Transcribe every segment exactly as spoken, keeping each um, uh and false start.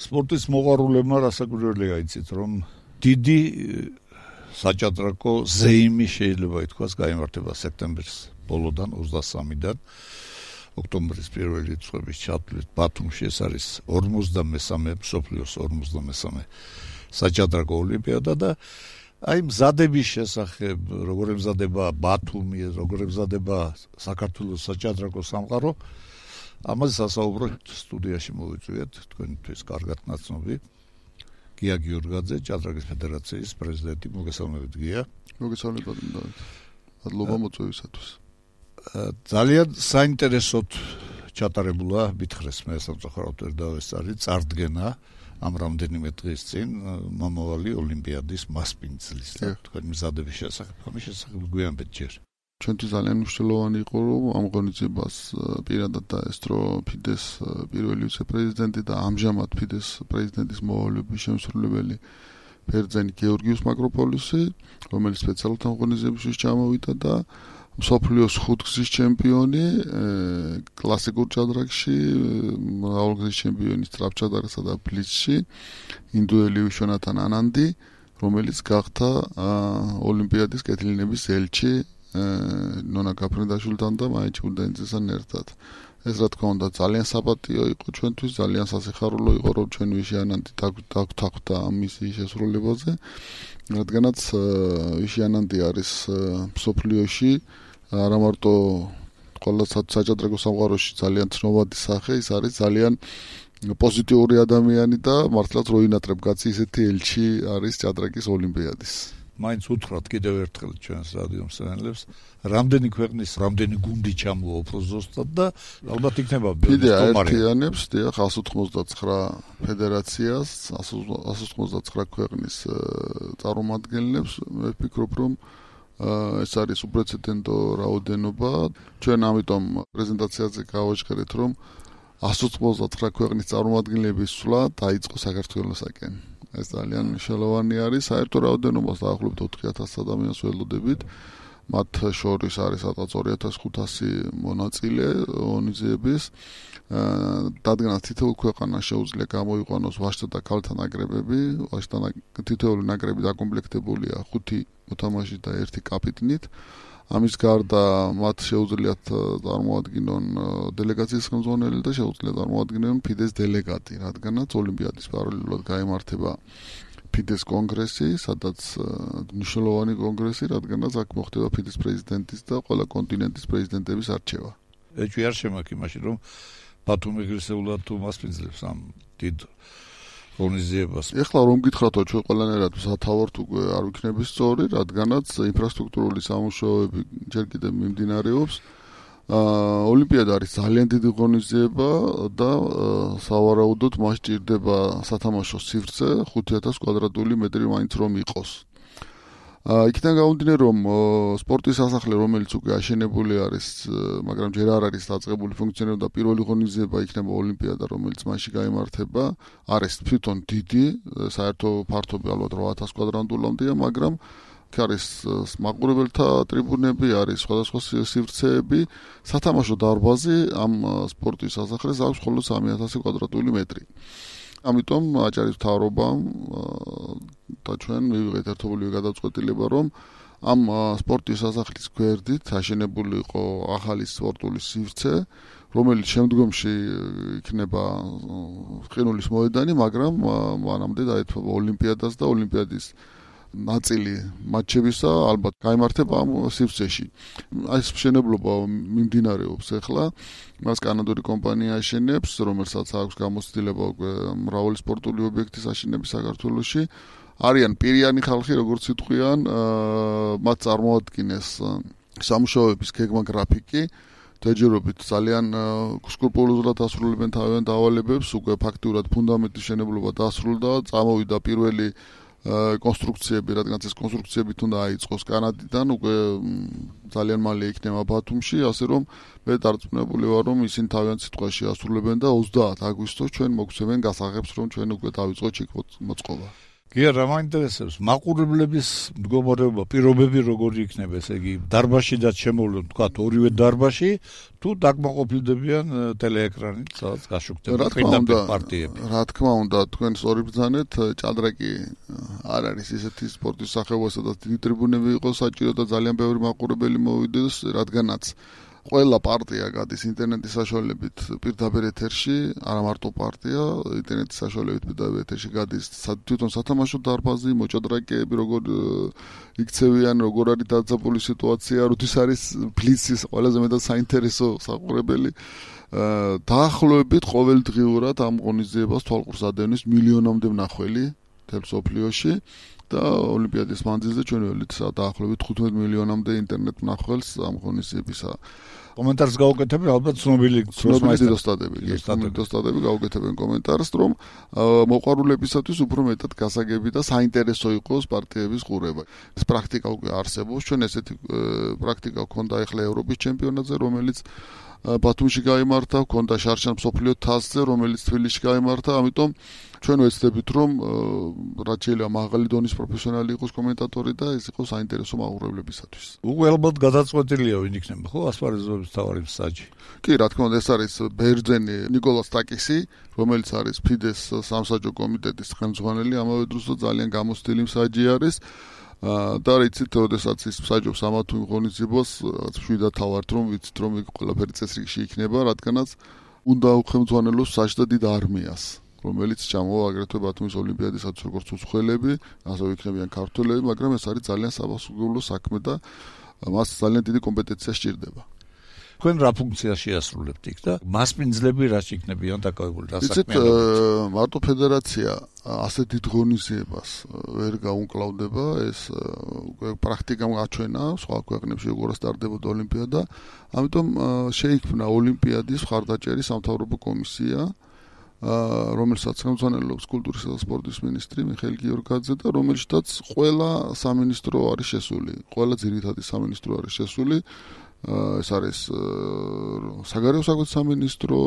სპორტის მოყვარულებმა რასაკვირველია იცით, რომ დიდი საჭადრაკო ზეიმი შეიძლება ითქვას გაიმართება სექტემბრის ბოლოდან ოცდასამიდან ოქტომბრის პირველი რიცხვების ჩათვლით ბათუმში. ეს არის ორმოცდამესამე მსოფლიოს ორმოცდამესამე საჭადრაკო ოლიმპიადა და აი მზადების შესახებ, როგორ ემზადება ბათუმი, როგორ ემზადება საქართველოს საჭადრაკო სამყარო, ამაზე სასაუბროთ სტუდიაში მოვიწვიეთ თქვენთვის კარგად ნაცნობი გია გიორგაძე, ჭადრაკის ფედერაციის პრეზიდენტი. მოგესალმებით გია. მოგესალმებით დავით. მადლობა მოწვევისათვის. ძალიან საინტერესოდ ჩატარებულა მითხრეს მე სამწუხაროდ ვერ დავესწარი წარდგენა ამ რამდენიმე დღის წინ მომავალი ოლიმპიადის მასპინძლის და თქვენი მზადების შესახებ. ამის შესახებ გვიანბეთ ჯერ. ჩვენთვის ძალიან მნიშვნელოვანი იყო, რომ ამ ღონისძიებას პირადად დაესწრო ფიდეს პირველი ვიცე-პრეზიდენტი და ამჟამად ფიდეს პრეზიდენტის მოვალეობის შემსრულებელი ბერძენი გეორგიუს მაკროპოლისი, რომელიც სპეციალურად ამ ღონისძიებაში ჩამოვიდა და მსოფლიოს ხუთგზის ჩემპიონი კლასიკურ ჭადრაკში, მრავალგზის ჩემპიონი სწრაფჭადრაკსა და ბლიცში, ინდუელი ვიშვანათან ანანდი, რომელიც გახდა ოლიმპიადის კეთილინების ელჩი ნონა გაფრინდაშვილთან და მაიჩ უდენძესთან ერთად. ეს რა თქმა უნდა ძალიან საპატიო იყო ჩვენთვის, ძალიან სასიხარულო იყო, რომ ჩვენ ვიშიანანდი დაგვთანხმდა ამ მისიის შესრულებაზე, რადგანაც ვიშიანანდი არის მსოფლიოში არა მარტო ყველა საჭადრაკო სამყაროში ძალიან ცნობადი სახე, ის არის ძალიან პოზიტიური ადამიანი და მართლაც რო ინატრებ კაცი ისეთი ელჩი არის ჭადრაკის ოლიმპიადის. მაინც უთხრათ კიდევ ერთხელ ჩვენს რადიო მსმენელებს, რამდენი ქვეყნის, რამდენი გუნდი ჩამოვა უფრო ზუსტად და ალბათ იქნება ფიდე აერთიანებს დიახ εκατს ოთხმოცდაცხრა ფედერაციას, εκατს ოცდაცხრა ქვეყნის წარმომადგენლებს. მე ვფიქრობ, რომ ეს არის უპრეცედენტო რაოდენობა. ჩვენ ამიტომ პრეზენტაციაზე გავაჟღერეთ, რომ εκατს ოცდაცხრა ქვეყნის წარმომადგენლების სვლა დაიწყო საქართველოსაკენ. ეს ძალიან მნიშვნელოვანი არის. საერთო რაოდენობას დაახლოებით ოთხი ათასი ადამიანს ველოდებით. მათ შორის არის სადღაც ორი ათას ხუთასი მონაწილე ღონისძიების. დადგენას თითოეულ ქვეყანას შეუძლია გამოიყვანოს ვაჟთა და ქალთა ნაკრებები. ვაჟთა თითოეული ნაკრები დაკომპლექტებულია ხუთი მოთამაშით და ერთი კაპიტნით. ამის გარდა მათ შეუძლიათ წარმოადგინონ დელეგაციის ხელმძღვანელი და შეუძლიათ წარმოადგინონ ფიდეს დელეგატი, რადგანაც ოლიმპიადის პარალელურად გაიმართება ფიდეს კონგრესი, სადაც მნიშვნელოვანი კონგრესი, რადგანაც აქ მოხდება ფიდეს პრეზიდენტის და ყველა კონტინენტის პრეზიდენტების არჩევა. ეჭვი არ შემაქვს იმაში, რომ ბათუმი ეგრესულად თუ მასპინძლებს ამ დიდ ღონისძიებას. ეხლა რომ გითხრათო ჩვენ ყველანაირად სათავართ უკვე არ ვიქნები სწორი, რადგანაც ინფრასტრუქტურული სამუშაოები ჯერ კიდევ მიმდინარეობს. ოლიმპიადა არის ძალიან დიდი ღონისძიება და სავარაუდოდ მას ჭირდება სათამაშო სივრცე ხუთი ათასი კვადრატული მეტრი მაინც რომ იყოს. იქიდან გამომდინარე, რომ სპორტის სასახლე, რომელიც უკვე აშენებული არის, მაგრამ ჯერ არ არის დაწყებული ფუნქციონირება და პირველი ღონისძიება იქნება ოლიმპიადა, რომელიც მასში გაიმართება, არის თვითონ დიდი, საერთო ფართობი ალბათ რვა ათასი კვადრატულამდეა, მაგრამ იქ არის მაყურებელთა ტრიბუნები, არის სხვადასხვა სივრცეები, სათამაშო დარბაზი ამ სპორტის სასახლეს აქვს მხოლოდ სამი ათასი კვადრატული მეტრი. ამიტომ აჭარის მთავრობამ და ჩვენ მივიღეთ ერთობლივი გადაწყვეტილება, რომ ამ სპორტის სასახლის გვერდით აშენებული იყო ახალი სპორტული სივრცე, რომელიც შემდგომში იქნება ყინულის მოედანი, მაგრამ მანამდე დაეთმობა ოლიმპიადას და ოლიმპიადის ნაწილი მატჩებისა ალბათ გაიმართება ამ სივრცეში. ეს მშენებლობა მიმდინარეობს ახლა. მას კანადური კომპანია აშენებს, რომელსაც აქვს გამოცდილება უკვე მრავალი სპორტული ობიექტის აშენების საქართველოში. არიან პირიანი ხალხი, როგორც იტყვიან, მათ წარმოადგინეს სამუშაოების გეგმა გრაფიკი. დაჯერობით ძალიან სკრუპულოზურად ასრულებენ თავიანთ დავალებებს, უკვე ფაქტიურად ფუნდამენტის შენებლობა დასრულდა, წამოვიდა პირველი კონსტრუქციები, რადგანაც ეს კონსტრუქციები თუნდა აიწყოს კანადიდან, უკვე ძალიან მალე იქნება ბათუმში, ასე რომ მე დარწმუნებული ვარ, რომ ისინი თავიანთ სიტყვაში ასრულებენ და ოცდაათი აგვისტოს ჩვენ მოგცემენ გასაღებს, რომ ჩვენ უკვე დავიწყოთ იქ მოწყობა. კი რა მაინტერესებს მაყურებლების მდგომარეობა, პირობები როგორი იქნება, ესე იგი დარბაშიდაც შემოვლენ თქვა ორივე დარბაში თუ დაკმაყოფილდებიან ტელეეკრანით, სადაც გაშუქდება პირდაპირ პარტიები. რა თქმა უნდა, თქვენ სწორი ბრძანეთ, ჭადრაკი არ არის ისეთი სპორტის სახეობა, სადაც დიდი ტრიბუნები იყოს საჭირო და ძალიან ბევრი მაყურებელი მოვიდეს, რადგანაც ყველა პარტია გადის ინტერნეტის საშუალებით პირდაპირ ეთერში, არა მარტო პარტია, ინტერნეტის საშუალებით პირდაპირ ეთერში გადის თვითონ სათამაშო დარბაზი, მოჭადრაკეები, როგორ იქცევიან, როგორ არის დაძაბული სიტუაცია, როდის არის ბლიცის ყველაზე მეტად საინტერესო საყურებელი. დაახლოებით ყოველდღიურად ამ ღონისძიებას თვალყურს ადევნის მილიონამდე მნახველი მთელ მსოფლიოში. და ოლიმპიადის მანძილზე ჩვენ ველით დაახლოებით თხუთმეტ მილიონამდე ინტერნეტ მნახველს ამ ღონისძიებისა. კომენტარს გაუკეთებენ ალბათ ცნობილი დოსტატები, დოსტატები გაუკეთებენ კომენტარს, რომ მოყვარულებისათვის უფრო მეტად გასაგები და საინტერესო იყოს პარტიების ყურება. ეს პრაქტიკა უკვე არსებობს, ჩვენ ესეთი პრაქტიკა გვქონდა ახლა ევროპის ჩემპიონატზე, რომელიც ბათუმში გაიმართა, გვქონდა შარშან მსოფლიო თასზე, რომელიც თბილისში გაიმართა, ამიტომ ჩვენ ვეცდებით, რომ რაც შეიძლება მაღალი დონის პროფესიონალი იყოს კომენტატორი და ეს იყოს საინტერესო მაყურებლებისათვის. უკვე ალბათ გადაწყვეტილია ვინ იქნება, ხო, ასპარეზობის მთავარი მსაჯი. კი, რა თქმა უნდა, ეს არის ბერძენი ნიკოლას ტაკისი, რომელიც არის ფიდეს სამსაჯო კომიტეტის ხელმძღვანელი, ამავე დროს ძალიან გამოცდილი მსაჯი არის. და რიცით, როდესაც ის მსაჯობს ამა თუ იმ ღონისძიებას, შვიდად თავართ, რომ ვიცით, რომ იქ ყველაფერი წესრიგში იქნება, რადგანაც უნდა უხელმძღვანელოს მსაჯს და დიდ არმიას, რომელიც ჩამოვა აგრეთვე ბათუმის ოლიმპიადისათვის როგორც უცხოელები, ასევე იქნებიან ქართველები, მაგრამ ეს არის ძალიან საფასურულო საქმე და მას ძალიან დიდი კომპეტენცია სჭირდება. თქვენ რა ფუნქციას შეასრულებთ იქ და მასპინძლები რა იქნებიან დაკავებული და საქმეებით? იცით, მარტო ფედერაცია ასეთ დიდ ღონისძიებას ვერ გაუმკლავდება, ეს უკვე პრაქტიკამ გაჩვენა, სხვა ქვეყნებში როგორ სტარდებოდა ოლიმპიადა, ამიტომ შეიქმნა ოლიმპიადის მხარდაჭერის სამთავრობო კომისია, რომელსაც ხელმძღვანელობს კულტურისა და სპორტის მინისტრი მიხეილ გიორგაძე და რომელშიც ყველა სამინისტრო არის შესული, ყველა ძირითადი სამინისტრო არის შესული. ეს არის საგარეო საქმეთა სამინისტრო,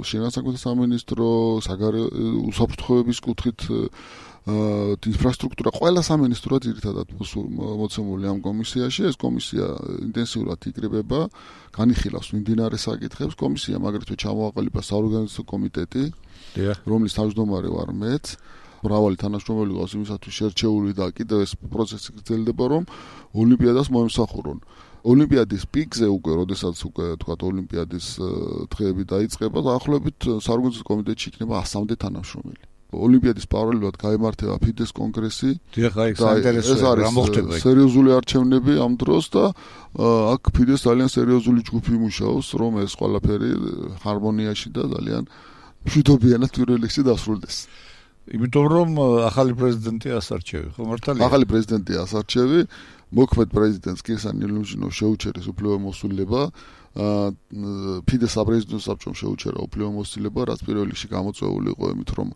შინაგან საქმეთა სამინისტრო, საგარეო უსაფრთხოების კუთხით ინფრასტრუქტურა, ყველა სამინისტრო ძირითადად მოცემული ამ კომისიაში. ეს კომისია ინტენსიურად იკრიბება, განიხილავს მიმდინარე საკითხებს. კომისიამ აგრეთვე ჩამოაყალიბა საორგანიზაციო კომიტეტი, რომლის თავმჯდომარე ვარ მეც. მრავალი თანამშრომელი ყავს იმისათვის შერჩეული და კიდევ ეს პროცესი გრძელდება, რომ ოლიმპიადას მოემსახურონ. ოლიმპიადის პიკზე უკვე, როდესაც უკვე თქვათ ოლიმპიადის დღეები დაიწყება, დაახლოებით საორგანიზაციო კომიტეტში იქნება ასამდე თანამშრომელი. ოლიმპიადის პარალელურად გაიმართება ფიდეს კონგრესი. დიახ, აი საინტერესოა რა მოხდება იქ. სერიოზული არჩევნები ამ დროს და აქ ფიდეს ძალიან სერიოზული ჯგუფი იმუშაობს, რომ ეს ყველაფერი ჰარმონიაში და ძალიან მშვიდობიანად პირველ რიგში დასრულდეს. იმიტომ რომ ახალი პრეზიდენტი ასარჩევი, ხო მართალია? ახალი პრეზიდენტი ასარჩევი, მოქმედ პრეზიდენტს კირსან ნილუჟინოვს შეუჩერეს უფლებამოსილება, ფიდეს საპრეზიდენტო საბჭომ შეუჩერა უფლებამოსილება, რაც პირველ რიგში გამოწვეული იყო იმით, რომ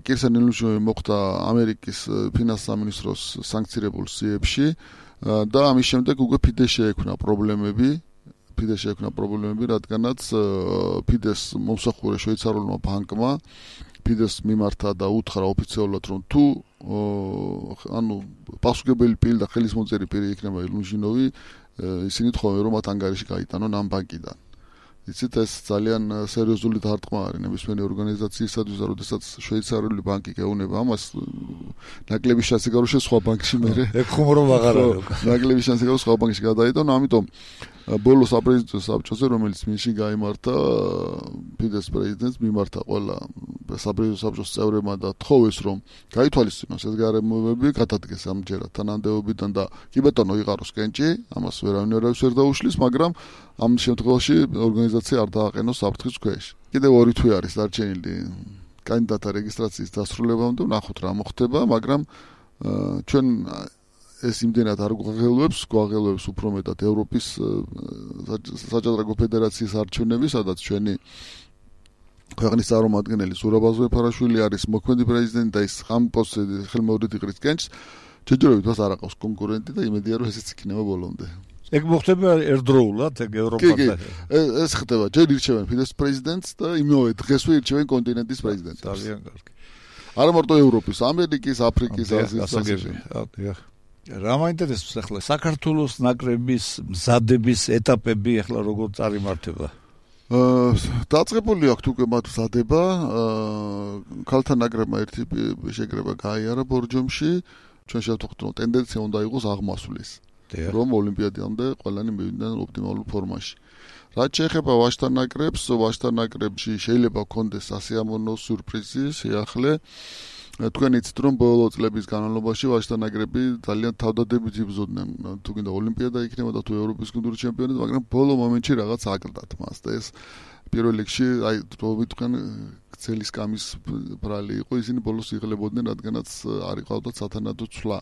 კირსან ნილუჟინოვი მოხვდა ამერიკის ფინანსთა სამინისტროს სანქცირებულ სიებში და ამის შემდეგ უკვე ფიდეს შეექმნა პრობლემები, ფიდეს შეექმნა პრობლემები, რადგანაც ფიდეს მომსახურე შვეიცარიულმა ბანკმა ფიდეს მიმართა და უთხრა ოფიციალურად, რომ თუ ანუ პასუხებელი პირი და ხელისმოწერი პირი იქნება ნილუჟინოვი, ისინი თხოვენ, რომ მათ ანგარიში გაიტანონ ამ ბანკიდან. იცით, ეს ძალიან სერიოზული დარტყმა არის ნებისმიერი ორგანიზაციისათვის, როდესაც შვეიცარიული ბანკი გეუბნება ამას, ნაკლების შანსი გარო სხვა ბანკში მერე. ეგ ხუმრობ აღარ არის. ნაკლების შანსი გარო სხვა ბანკში გადაიტანო, ამიტომ ბოლოს საპრეზიდენტო საბჭოზე, რომელიც მინში გაიმართა, ფიდეს პრეზიდენტს მიმართა ყველა საპრეზიდენტო საბჭოს წევრებმა და თხოვეს, რომ გაითვალისწინოს ეს გარემოებები, გადადგეს ამჯერად თანამდებობიდან და კი ბატონო იყაროს კენჭი, ამას ვერავინ ვერ დაუშლის, მაგრამ ამ შემთხვევაში ორგანიზაცია არ დააყენოს საფრთხის ქვეშ. კიდევ ორი თვე არის დარჩენილი კანდიდატთა რეგისტრაციის დასრულებამდე, ვნახოთ რა მოხდება, მაგრამ ჩვენ ეს იმდენად არ გვაღელვებს, გვაღელვებს უფრო მეტად ევროპის საჭადრაკო ფედერაციის არჩევნები, სადაც ჩვენი ქვეყნის წარმომადგენელი ზურაბ აზერბაიჯანელი არის მოქმედი პრეზიდენტი და ის ამ პოსტზე ხელმეორედ იყრის კენჭს, ჯერჯერობით მას არ აყავს კონკურენტი და იმედია, რომ ესეც იქნება ბოლომდე. ეგ მოხდება ერთდროულად, ეგ ევროპასთან. ეს ხდება, ჯერ ირჩევენ ფიდეს პრეზიდენტს და იმავე დღესვე ირჩევენ კონტინენტის პრეზიდენტს. ძალიან კარგი. არა მარტო ევროპის, ამერიკის, აფრიკის, აზიის ასაგები. რა მაინტერესებს ახლა საქართველოს ნაკრების მზადების ეტაპები ახლა როგორ წარიმართება? დაწყებული აქვს უკვე მათ მზადება, ქალთა ნაკრებმა ერთი შეკრება გაიარა ბორჯომში, ჩვენ შევთხოვთ რომ ტენდენცია უნდა იყოს აღმასვლის, რომ ოლიმპიადამდე ყველანი მივიდნენ ოპტიმალურ ფორმაში. რაც შეეხება ვაჟთა ნაკრებს, ვაჟთა ნაკრებში შეიძლება გქონდეს სასიამოვნო სიურპრიზი, სიახლე. თქვენ იცით რომ ბოლო წლების განმავლობაში ვაჟთა ნაკრები ძალიან თავდადებით იბრძოდნენ თუ გინდა ოლიმპიადა იქნება და თუ ევროპის გუნდური ჩემპიონატი, მაგრამ ბოლო მომენტში რაღაც აკრდათ მას და ეს პირველ რიგში აი რო ვიტყვენ გრძელი სკამის ბრალი იყო, ისინი ბოლოს იღლებოდნენ, რადგანაც არ იყავდათ სათანადო ცვლა.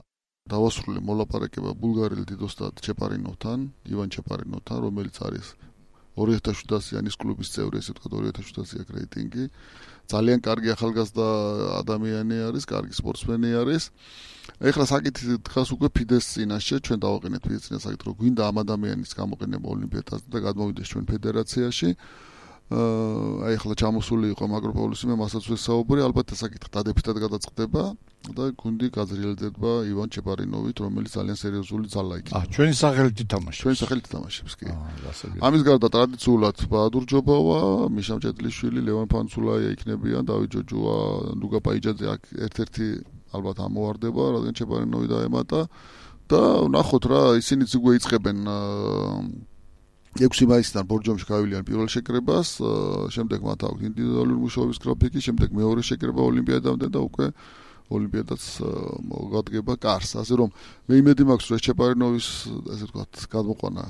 დავასრულე მოლაპარაკება ბულგარელ დიდოსტად ჩეპარინოვთან, ივან ჩეპარინოვთან, რომელიც არის ორი ათას შვიდასიანი კლუბის წევრი, ესე ვთქვათ ორი ათას შვიდასიანი რეიტინგი. ძალიან კარგი ახალგაზრდა ადამიანი არის, კარგი სპორტსმენი არის. ეხლა საკითხი დგას უკვე ფიდეს წინაშე, ჩვენ დავაყენეთ ფიდეს წინაშე საკითხი, რომ გვინდა ამ ადამიანის გამოყენება ოლიმპიადაზე და გადმოვიდეს ჩვენ ფედერაციაში. აი ახლა ჩამოსული იყო მაკროპაულისი, მე მასაც ვესაუბრე, ალბათ ეს საკითხი დადებითად გადაწყდება და გუნდი გაძრიელდება ივან ჩეპარინოვით, რომელიც ძალიან სერიოზული ძალა იქნება. აა, ჩვენი სახელით ითამაშებს. ჩვენი სახელით ითამაშებს, კი. აა, გასაგებია. ამის გარდა ტრადიციულად ბაადურ ჯობავა, მიშა მჭედლიშვილი, ლევან ფანცულაია იქნებიან, დავით ჯოჯოა, ნუგა პაიჯაძე აქ ერთ-ერთი ალბათ ამოვარდება, რადგან ჩეპარინოვი დაემატა და ნახოთ რა, ისინიც უკვე იწყებენ ექვსი მაისიდან ბორჯომში გავივლიან პირველ შეკრებას, შემდეგ მათ აქვს ინდივიდუალური მუშაობის გრაფიკი, შემდეგ მეორე შეკრება ოლიმპიადამდე და უკვე ოლიმპიადაც მოგადგება კარს. ასე რომ მე იმედი მაქვს, რომ ეს ჩეპარინოვის, ასე ვთქვათ, გადმოყვანა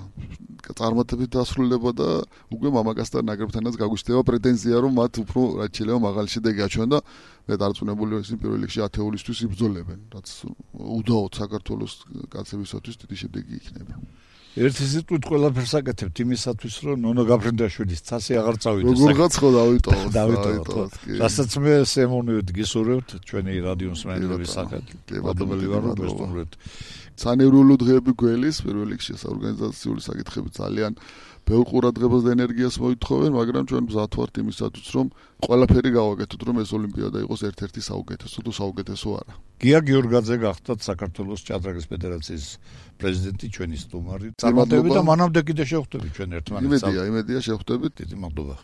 წარმატებით დასრულდება და უკვე მამაკაცთა ნაკრებთანაც გაგვიჩნდება პრეტენზია, რომ მათ უფრო რაც შეიძლება მაღალი შედეგი აჩვენონ და მე დარწმუნებული ვარ, ისინი პირველ რიგში ათეულისთვის იბრძოლებენ, რაც უდაოდ საქართველოს კაცებისათვის დიდი შედეგი იქნება. ერთი სიტყვით ყველაფერს აკეთებთ იმისათვის, რომ ნონო გაფრინდაშვილის ცასი აღარ წავიდეს. როგორღაც ხო დავიტოვოთ. დავიტოვოთ. რასაც მე სემონივით გისურვებთ ჩვენი რადიო მსმენელების სახით. მადლობელი ვარ, რომ გესტუმრეთ. სანევროლო დღეები გველის პირველ რიგში საორგანიზაციული საკითხები ძალიან ბევრ ყურადღებას და ენერგიას მოითხოვენ, მაგრამ ჩვენ მზად ვართ იმისათვის, რომ ყველაფერი გავაკეთოთ, რომ ეს ოლიმპიადა იყოს ერთ-ერთი საუკეთესო თუ საუკეთესო არა. გია გიორგაძე გახდათ საქართველოს ჭადრაკის ფედერაციის პრეზიდენტი, ჩვენი სტუმარი. წარმატებით და მანამდე კიდე შევხვდებით ჩვენ ერთმანეთს. იმედია, იმედია შევხვდებით. დიდი მადლობა.